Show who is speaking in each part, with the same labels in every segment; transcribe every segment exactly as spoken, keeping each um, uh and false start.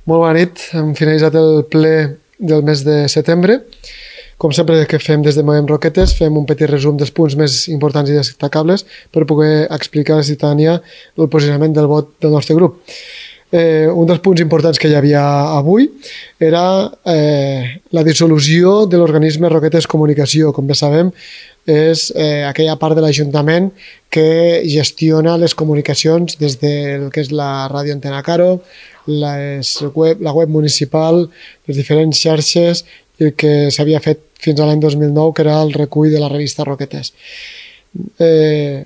Speaker 1: Molt bona nit, hem finalitzat el ple del mes de setembre. Com sempre que fem des de Movem Roquetes, fem un petit resum dels punts més importants i destacables per poder explicar a la ciutadania el posicionament del vot del nostre grup. Eh, un dels punts importants que hi havia avui era eh, la dissolució de l'organisme Roquetes Comunicació. Com bé sabem, és eh, aquella part de l'Ajuntament que gestiona les comunicacions des del que és la ràdio Antena Caro, les web, la web municipal, les diferents xarxes i el que s'havia fet fins a l'any dos mil nou, que era el recull de la revista Roquetes. Eh,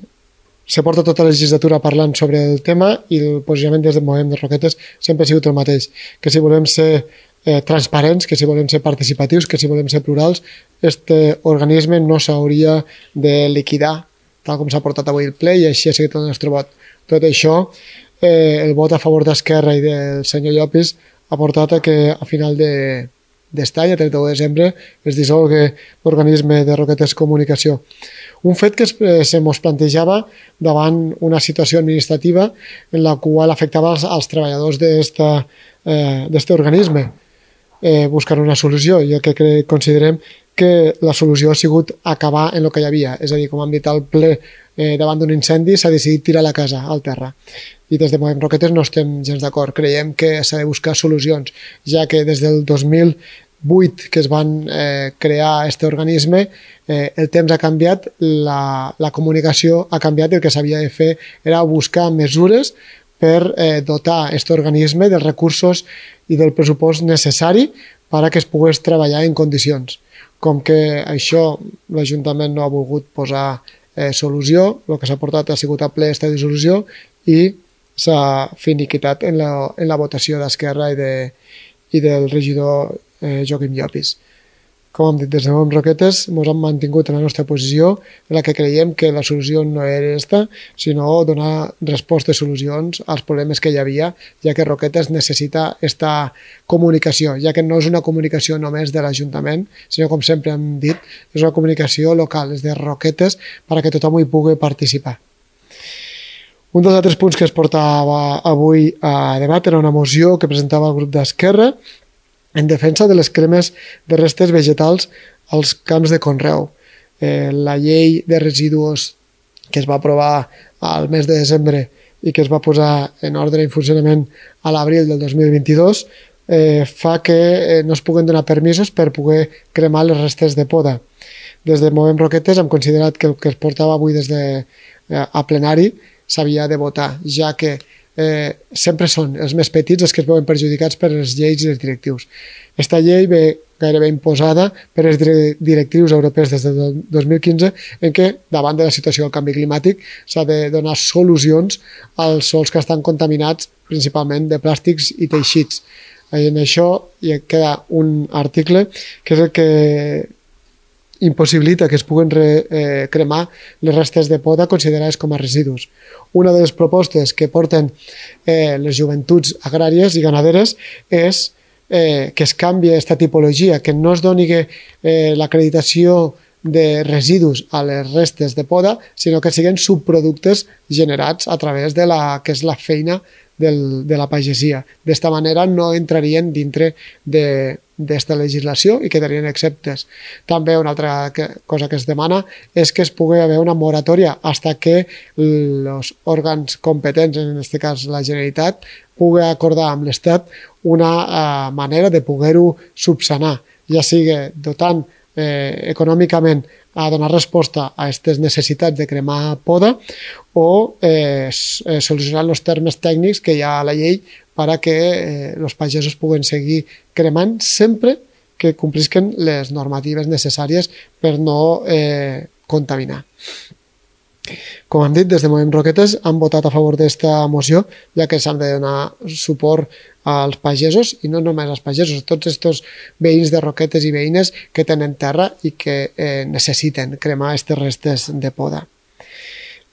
Speaker 1: se porta tota la legislatura parlant sobre el tema i el posicionament des del Movem de Roquetes sempre ha sigut el mateix, que si volem ser eh, transparents, que si volem ser participatius, que si volem ser plurals, este organisme no s'hauria de liquidar tal com s'ha portat avui el ple i així ha seguit el nostre vot. Tot això, eh, el vot a favor d'Esquerra i del senyor Llopis ha portat a que a final de d'estany, a trenta-u de desembre, es dissolgui l'organisme de Roquetes Comunicació. Un fet que eh, se mos plantejava davant una situació administrativa en la qual afectava als, als treballadors d'aquest eh, organisme. Eh, buscar una solució i el que cre considerem que la solució ha sigut acabar en el que hi havia. És a dir, com hem dit al ple, eh, davant d'un incendi s'ha decidit tirar la casa al terra. I des de Movem Roquetes no estem gens d'acord. Creiem que s'ha de buscar solucions, ja que des del dos mil vuit que es van eh, crear aquest organisme, eh, el temps ha canviat, la, la comunicació ha canviat i el que s'havia de fer era buscar mesures per eh, dotar aquest organisme dels recursos i del pressupost necessari perquè es pogués treballar en condicions. Com que això l'Ajuntament no ha volgut posar eh, solució, el que s'ha portat ha sigut a ple aquesta dissolució i s'ha finiquitat en la, en la votació d'Esquerra i, de, i del regidor eh, Joaquim Llopis. Com hem dit, des de Movem Roquetes ens hem mantingut en la nostra posició en la que creiem que la solució no era aquesta, sinó donar respostes i solucions als problemes que hi havia, ja que Roquetes necessita aquesta comunicació, ja que no és una comunicació només de l'Ajuntament, sinó, com sempre hem dit, és una comunicació local, és de Roquetes, perquè tothom hi pugui participar. Un dels altres punts que es portava avui a debat era una moció que presentava el grup d'Esquerra en defensa de les cremes de restes vegetals als camps de conreu. Eh, la llei de residus que es va aprovar al mes de desembre i que es va posar en ordre i en funcionament a l'abril del dos mil vint-i-dos eh, fa que eh, no es puguen donar permisos per poder cremar les restes de poda. Des de Movem Roquetes hem considerat que el que es portava avui des de, eh, a plenari s'havia de votar, ja que eh, sempre són els més petits els que es veuen perjudicats per les lleis i els directius. Aquesta llei ve gairebé imposada per les directrius europees des del dos mil quinze, en què, davant de la situació del canvi climàtic, s'ha de donar solucions als sols que estan contaminats principalment de plàstics i teixits. En això hi queda un article que és el que impossibilita que es puguen re, eh, cremar les restes de poda considerades com a residus. Una de les propostes que porten eh, les joventuts agràries i ganaderes és eh, que es canvi aquesta tipologia, que no es doni eh, l'acreditació de residus a les restes de poda, sinó que siguin subproductes generats a través de la que és la feina del, de la pagesia. D'esta manera no entrarien dintre de d'esta legislació i quedarien exceptes. També una altra que, cosa que es demana és que es pugui haver una moratòria fins que els òrgans competents, en aquest cas la Generalitat, pugui acordar amb l'Estat una uh, manera de poder-ho subsanar, ja sigui dotant eh, econòmicament a donar resposta a aquestes necessitats de cremar poda o eh, solucionar els termes tècnics que hi ha a la llei perquè eh, els pagesos puguen seguir cremant sempre que complisquen les normatives necessàries per no eh, contaminar. Com hem dit, des de Movem Roquetes han votat a favor d'esta moció, ja que s'han de donar suport als pagesos, i no només als pagesos, tots aquests veïns de Roquetes i veïnes que tenen terra i que eh, necessiten cremar aquestes restes de poda.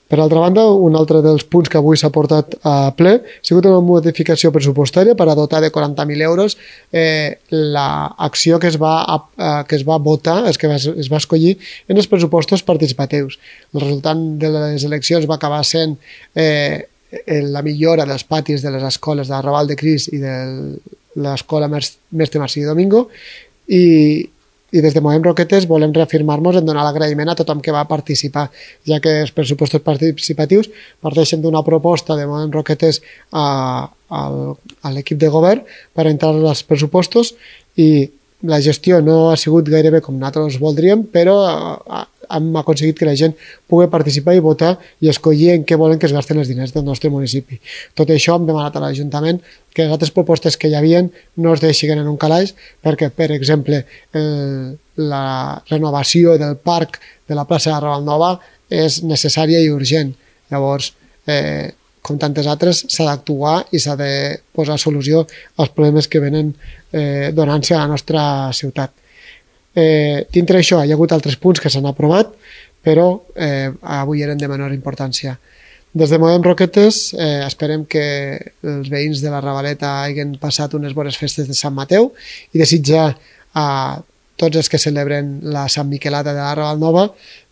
Speaker 1: Per altra banda, un altre dels punts que avui s'ha portat a ple ha sigut una modificació pressupostària per a dotar de quaranta mil euros eh, l'acció que es va, eh, que es va votar, es que es va escollir en els pressupostos participatius. El resultat de les eleccions va acabar sent eh, la millora dels patis de les escoles de Raval de Cris i del l'escola Mestre Marcí Domingo, i, i des de Movem Roquetes volem reafirmar-nos en donar l'agraïment a tothom que va participar, ja que els pressupostos participatius parteixen d'una proposta de Movem Roquetes a, a, a l'equip de govern per entrar als pressupostos, i la gestió no ha sigut gairebé com nosaltres voldríem, però hem aconseguit que la gent pugui participar i votar i escollir en què volen que es gasten els diners del nostre municipi. Tot això hem demanat a l'Ajuntament que les altres propostes que hi havia no es deixin en un calaix, perquè, per exemple, el, la renovació del parc de la plaça de Ravalnova és necessària i urgent. Llavors, eh, com tantes altres, s'ha d'actuar i s'ha de posar solució als problemes que venen eh, donant-se a la nostra ciutat. Eh, dintre això hi ha hagut altres punts que s'han aprovat, però eh, avui eren de menor importància. Des de Movem Roquetes eh, esperem que els veïns de la Ravaleta hagin passat unes bones festes de Sant Mateu i desitjar a tots els que celebren la Sant Miquelada de la Ravalnova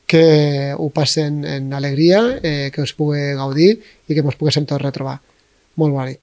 Speaker 1: que ho passen en alegria, eh, que us pugui gaudir i que ens poguéssim tots retrobar. Molt bona nit.